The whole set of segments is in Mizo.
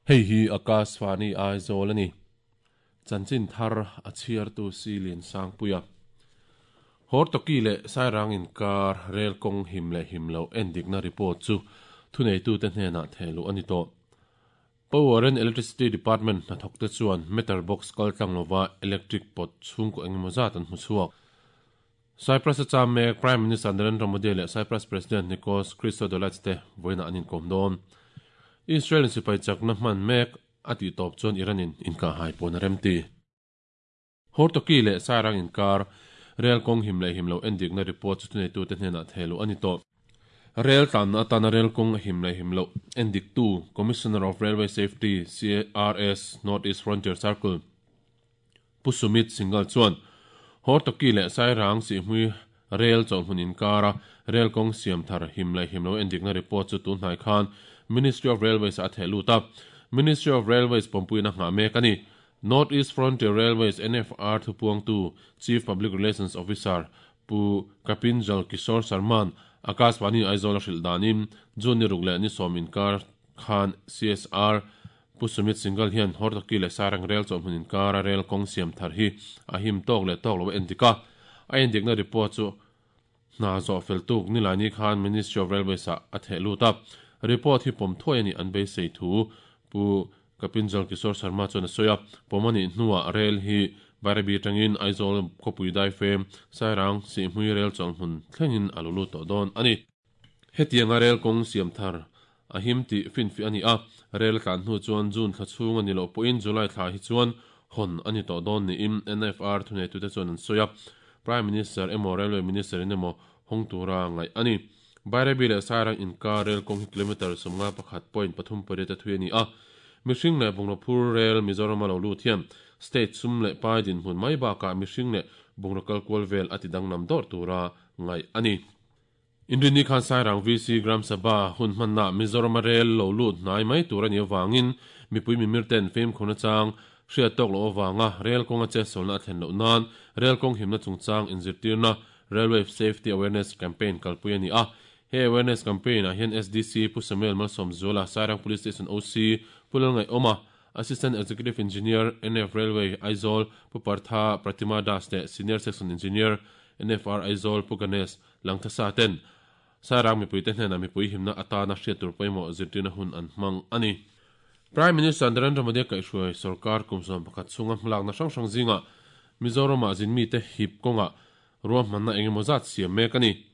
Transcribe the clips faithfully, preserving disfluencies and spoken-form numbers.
Hei hi Akashvani Aizawl ani. Chanchin thar a chhiartu Silin Sangpuia. Hortoki leh Sairang inkar rel kawng him leh him loh endikna report chu thuneitute hnenah thehluh a ni tawh. Power and Electricity Department hnathawkte chuan meter box kaltlang lova electric pot chhungkaw engemaw zat an hmu chhuak. Cyprus a cham mek Prime Minister Narendra Modi leh Cyprus President Nikos Christodoulides te vawiinah an inkawm dawn. Israel in sipai chakna hman mek a tih tawp chuan Iran in inkahhai pawn a remti. Hortoki leh Sairang inkar rel kawng him leh him loh endikna report chu thuneitute hnenah thehluh a ni tawh. Rel tlanna atana rel kawng a him leh him loh endiktu Commissioner of Railway Safety, C R S, North East Frontier Circle, Pu Sumit Singhal chuan Hortoki leh Sairang Sihhmui rel chawlhmun inkara rel kawng siam thar him leh him loh endikna report chu tunhnai khan Ministry of Railways a theh lut a. Ministry of Railways pawmpuina nghah mek a ni. North East Frontier Railways, N F R, thupuangtu Chief Public Relations Officer Pu Kapinjal Kishore Sharman Akashvani Aizawl a hrilh danin June ni ruk leh ni sawm inkar khan C S R Pu Sumit Singhal hian Hortoki leh Sairang rel chawlhmun inkara rel kawng siam thar hi a him tawk leh tawk lo a endik a. A endikna report chu hna zawh fel tuk nilaini khan Ministry of Railways ah a theh lut a. Report hi pawm thuai a nih an beisei thu Pu Kapinjal Kishore Sharma chuan a sawi a. Pawm a nih hnuah rel hi Bairabi atangin Aizawl khawpui daifem Sairang Sihhmui rel chawlhmun thlengin a lo lut tawh dawn a ni. Hetianga rel kawng siam thar a him tih finfih a ni a. Rel tlan hnu chuan June thla chhung a ni loh pawhin July thla hi chuan hawn a ni tawh dawn niin N F R thuneitute chuan an sawi a. Prime Minister emaw Railway Minister in emaw hawng tura ngaih a ni. Bairabi leh Sairang inkar rel kawng hi kilometre sawmnga pakhat point pathum pariat a thui a ni a. Mihring leh bungraw phur rel Mizoram a lo lut hian state sum leh pai dinhmun mai bakah mihring leh bungraw kalkual vel a ti danglam dawrh tura ngaih a ni. Inrinni khan Sairang V C Gram Sabha hun hmanna Mizoram a rel lo lut hnai mai tur a nih avangin mipui mimir ten fimkhurna chang hriat tawk loh avanga rel kawnga che sawlna a thlen loh nan rel kawng himna chungchang inzirtirna Railway Safety Awareness Campaign kalpui a ni a. He awareness campaign ah hian S D C Pu Samuel Malsawmzuala, Sairang Police Station O C Pu Lalngaihawma, Assistant Executive Engineer N F Railway Aizawl Pu Partha Pratima Das leh Senior Section Engineer N F R Aizawl Pu Ganesh Langthasa ten Sairang mipuite hnenah mipui himna atana hriat tur pawimawh zirtirna hun an hmang a ni. Prime Minister Narendra Modi kaihhruai sarkar kum sawm pakhat chhunga hmalakna hrang hrang zingah Mizoramah zinmite hip kawngah ruahmanna engemaw zat siam mek a ni.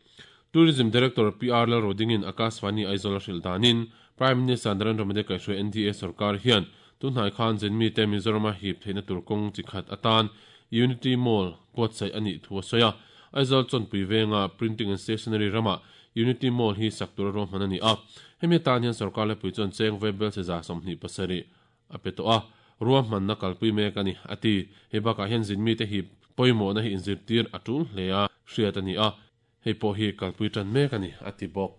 Tourism Director P R Lalrodingin Akashvani Aizawl a hrilh danin Prime Minister Narendra Modi kaihhruai N D A sarkar hian tunhnai khan zinmite Mizorama hip theihna tur kawng chi khat atan Unity Mall buatsaih a nih thu a sawi a. Aizawl chawnpui venga Printing and Stationery ramah Unity Mall hi sak tur a ruahman a ni a. Hemi atan hian sarkar lepui chuan cheng vaibel cheza sawmhnih pasarih a pe tawh a. Ruahmanna kalpui mek a ni a ti. Hei bakah hian zinmite hi pawimawhna hi inzirtir a tul hle a hriat a ni a. Hei pawh hi kalpui tan mek a ni a ti bawk.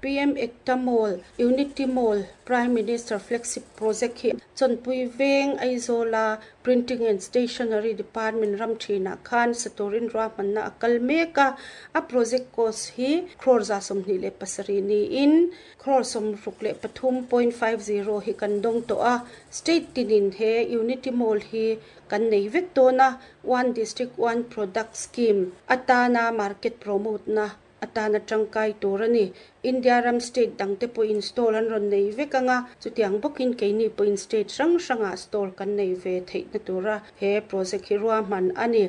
P M Ekta Mall, Unity Mall, Prime Minister Flagship Project hi chawnpui veng Aizawla Printing and Stationery Department ram thinah khan saturin ruahmanna a kal mek a. A project cost hi crore za sawmhnih leh pasarih niin crore sawmruk leh pathum point five zero hi kan dawng tawh a. State tinin he Unity Mall hi kan nei vek dawn a. One District One Product Scheme atana market promote na atana tangkai tur a ni. India ram state dangte pawh install an rawn nei vek anga chutiang bawkin keini pawh in state hrang hrangah stall kan nei ve theihna tura he project hi ruahman a ni.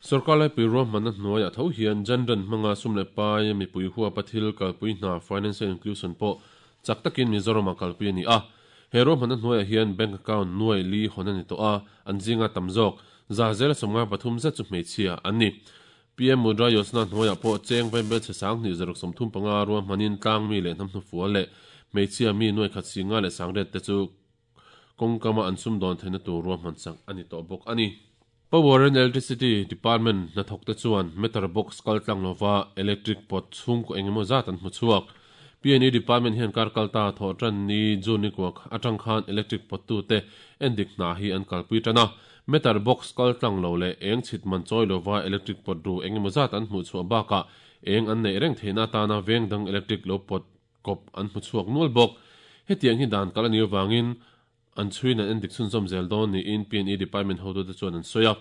Sarkar laipui ruahmanna hnuaiah tho hian Jan Dhan hmanga sum leh pai mipui huapa thil kalpui hna financial inclusion pawh chak takin Mizoram a kalpui a ni a. He ruahmanna hnuaiah hian bank account nuai li hawn a ni tawh a, an zinga tam zawk za zel sawmnga pathum zet chu hmeichhia an ni. P M Mudra Yojana hnuaiah pawh cheng vaibel che sang hnih zaruk sawmthum panga ruahmanin tlang mi leh hnam hnufual leh hmeichhia mi nuai khat singa leh sangret te chu kawngkama an sum dawn theihna tur ruahman sak a ni tawh bawk a ni. Power and Electricity Department hnathawkte chuan meter box kaltlang lova electric pot chhungkaw engemaw zat an hmu chhuak. P N E Department hian kar kalta thaw tan ni June ni kuak atang khan electric pot tu te endik hna hi an kalpui tan a. Meter box kaltlang lo leh eng chhit man chawi lova electric pot ru engemaw zat an hmuh chhuah bakah eng an nei reng theihna atana veng dang electric lo pot kawp an hmu chhuak nual bawk. Hetiang hi dan kal ani awangin an chhuin an endik chhunzawm zel dawn niin P and E department hotute chuan an sawi a.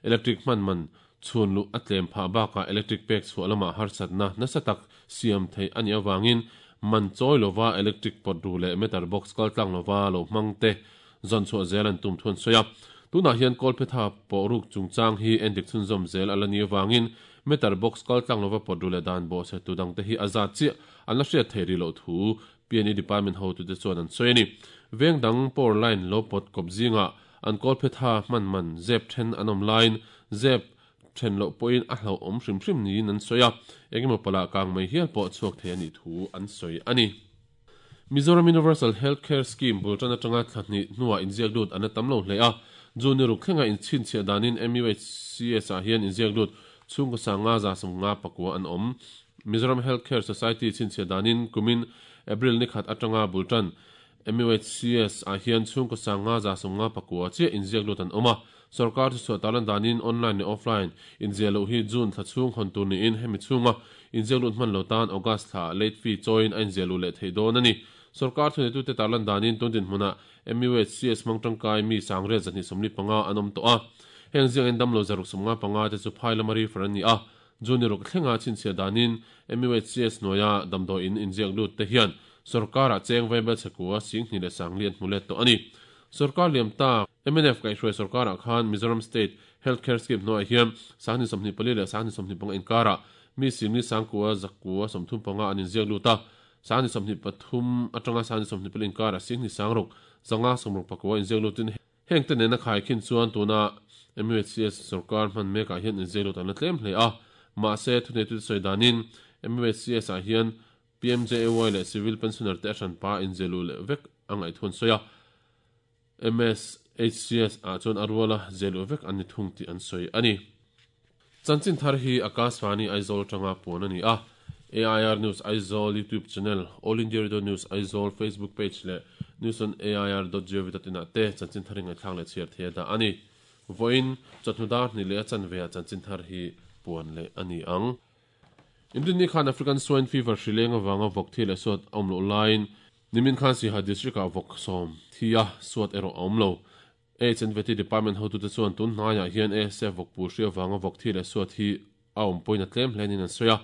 Electric hman man chhun lu a tlem phah bakah electric pek chhuah lamah harsatna nasa tak siam thei ani awangin man chawi lova electric pot ru leh meter box kal tlang lova lo hmang te zawn chhuah zel an tum thuan sawi a. Tunah hian kawlphetha pawh ruk chungchang hi endik chhunzawm zel ala ni awangin meter box kal tlang lova pot ru leh dan bawh se tu dang te hi a zat chiah an la hriat thei ri loh thu P and E department hotute chuan an sawi ani. Veng dang power line lo pot kawp zinga an kawlphetha hman man zep then an awm line zep then loh pawhin a hlo awm hrim hrim niin an sawi a. Engemaw pala kang mai hial pawh chhuak thei ani thu an sawi ani. Mizoram Universal Healthcare Scheme bultan atanga thla hnih hnuah inziak lut an la tam lo hle a. June ruk thlenga inchhin chhiah danin M U H C S ah hian inziak lut chhungkaw sanga za sawmnga pakua an awm. Mizoram Healthcare Society chhinchhiah danin kumin April ni khat atanga bultan M U H C S ah hian chhungkaw sanga za sawmnga pakua chiah inziak lut an awm a. Sarkar chu chhuah talan danin online leh offline inziah loh hi June thla chhung hawn tur niin hemi chhunga inziak lut hman lo tan August thla late fee chawiin a inziah luh leh theih dawn ani. Sarkar thunetute talan danin tundin hmuna M U H C S hmang tangkai mi sangriat zahnih sawmli panga an awm tawh a. Heng ziang in damlo zaruk sawmnga panga te chu phai lama refer an ni a. June ruk thlenga chhinchhiah danin M U H C S hnuaia damdawiin inziak lut te hian sarkar ah cheng vaibel chhekua singhnih leh sangli an hmu let tawh ani. Sarkar liam tak M N F kaihhruai sarkar ah khan Mizoram State Healthcare Scheme hnuaiah hian sanghnih sawmhnih pali leh sanghnih sawmhnih panga inkarah mi singli sangkua zakua sawmthum panga an inziak lut a. Sanghnih sawmhnih pathum atanga sanghnih sawmhnih pali inkarah singhnih sangruk zanga sawmruk pakua inziak lutin heng te nena khai khin chuan tuna M U H C S sarkar hman mekah hian inziak lut an la tlem hle a. Mahse thuneitu te sawi danin M U H C S ah hian P M J A Y leh civil pensioner te a hranpa inziah luh leh vek a ngaih sawi a. M S H C S ah chuan a ruala ziah luh vek an ni thung tih an sawi ani. Chanchin thar hi Akashvani Aizawl tanga puan ani a. A I R News Aizawl YouTube channel, All India Radio News Aizawl Facebook page leh news on A I R dot gov dot in ah te chanchin thar ingai thlang leh chhiar thei da ani. Voin chawhnu dar hnih leh a chanve ah chanchin thar hi puan leh ani ang. Inrin khan African Swine Fever hrileng awanga vawk thi leh suat a awm loh laiin nimin khan Siaha district ah vawk sawm thi a suat erawh a awm lo. H and V T department hotute chuan tun hnaiah hian A S F vawk pul hri awanga vawk thi leh suat hi a awm pawhin a tlem hlenin an sawi a.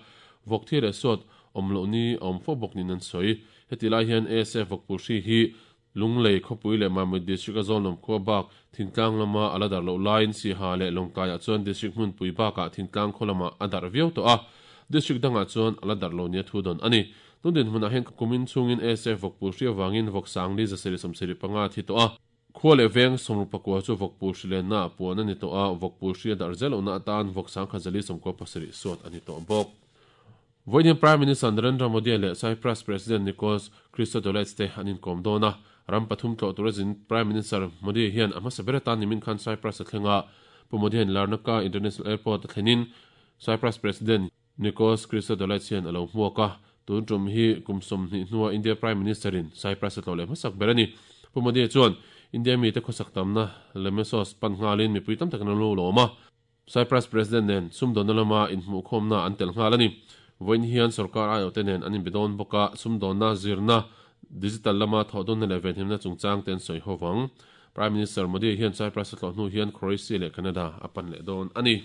Vawk thi leh suat awm loh ni a awm fo bawk nin an sawi. Heti lai hian A S F vawk pul hri hi Lunglei khawpui leh Mamit district a zawn lawm khua bak thingtlang lama a la dar loh laiin Siaha leh Lawngtlaiah chuan district hmunpui bakah thingtlang khaw lamah a dar viau tawh a. District dangah chuan a la dar lo nia thu dawn ani. Tundin hmunah hian kumin chungin A S F vawk pul hri awangin vawk sangli zasarih sawmsarih panga thi tawh a. Khua leh veng sawmruk pakua chu vawk pul hri lenna a puan ani tawh a. Vawk pul hri a dar zel lohna atan vawk sangkhat zali sawmkua pasarih suat ani tawh bawk. Voiin Prime Minister Narendra Modi leh Cyprus President Nikos Christodoulides te an inkawm dawn a. Ram pathum tlawh tur azin Prime Minister Modi hian a hmasa ber atan nimin khan Cyprus a thlenga. Pu Modi hian Larnaca International Airport a thlenin Cyprus President Nikos Christodoulides hian a lo hmuak a. Tun tum hi kum sawmhnih hnuah India Prime Minister in Cyprus a tlawh leh hmasak ber ani. Pu Modi chuan India mi te khawsak tamna Lemesos pan nghalin mipui tam takin an lo lawm a. Cyprus President nen sumdawnna lama inhmuhkhawmna an tel nghal ani. Voin hian sarkar ai te nen an inbedawn bawka sumdawnna zirna digital lama thawhdawnna leh venhimna chungchang ten sawi hovang. Prime Minister Modi hian Cyprus a tlawh hnu hian Croatia leh Canada a pan leh dawn ani.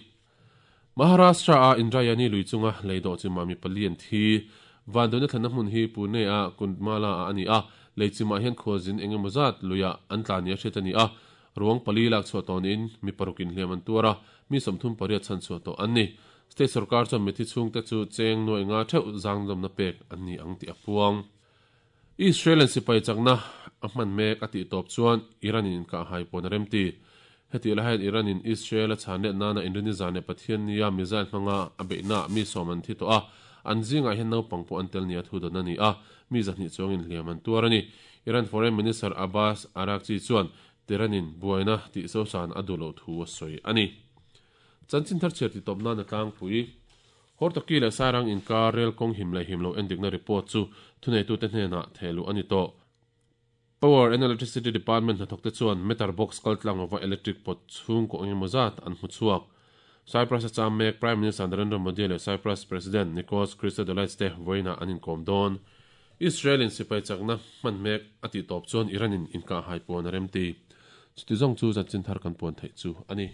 Maharashtra a Indrayani lui chunga leidawh chima mi pali an thi. Vandawnna thlanna hmun hi Pune a Kundmala a ani a. Leichimah hian khualzin engemaw zat luia an tla ni a hriat ani a. Ruang pali lak chhuah tawh niin mi parukin hliam an tuar a. Mi sawmthum pariat chhan chhuah tawh an ni. State sarkar chuan mithi chhungte chu cheng nuai nga theuh zangdawmna pek an ni ang tih a puang. Israel an sipai chakna a hman mek a tih tawp chuan Iran in inkah hai pawn a remti. Heti la hian Iran in Israel a chhan let nana inrini zan leh Pathian nia missile hmanga a beihna mi sawm an thi tawh a. An zingah hian naupang pawh an tel nia thu dawn ani a. Mi zahnih chuangin hliam an tuar ani. Iran Foreign Minister Abbas Araghchi chuan Tehran in buaina tih sosan a duh loh thu a sawi ani. Chanchin thar chhiar ti tawp nan a tlangpui. Hortoki leh Sairang inkar rel kawng him leh him lo endikna report chu thuneitute hnenah thehluh ani tawh. Power and Electricity Department hnathawk te chuan meter box kal tlang lova electric pot chhung kaw engemaw zat an hmu chhuak. Cyprus a cham mek Prime Minister Narendra Modi leh Cyprus President Nikos Christodoulides te vawiinah an inkawm dawn. Israel in sipai chakna hman mek a ti tawp chuan Iran in inka hai puan a remti. Chuti zawng chu chanchin thar kan puan theih chu ani.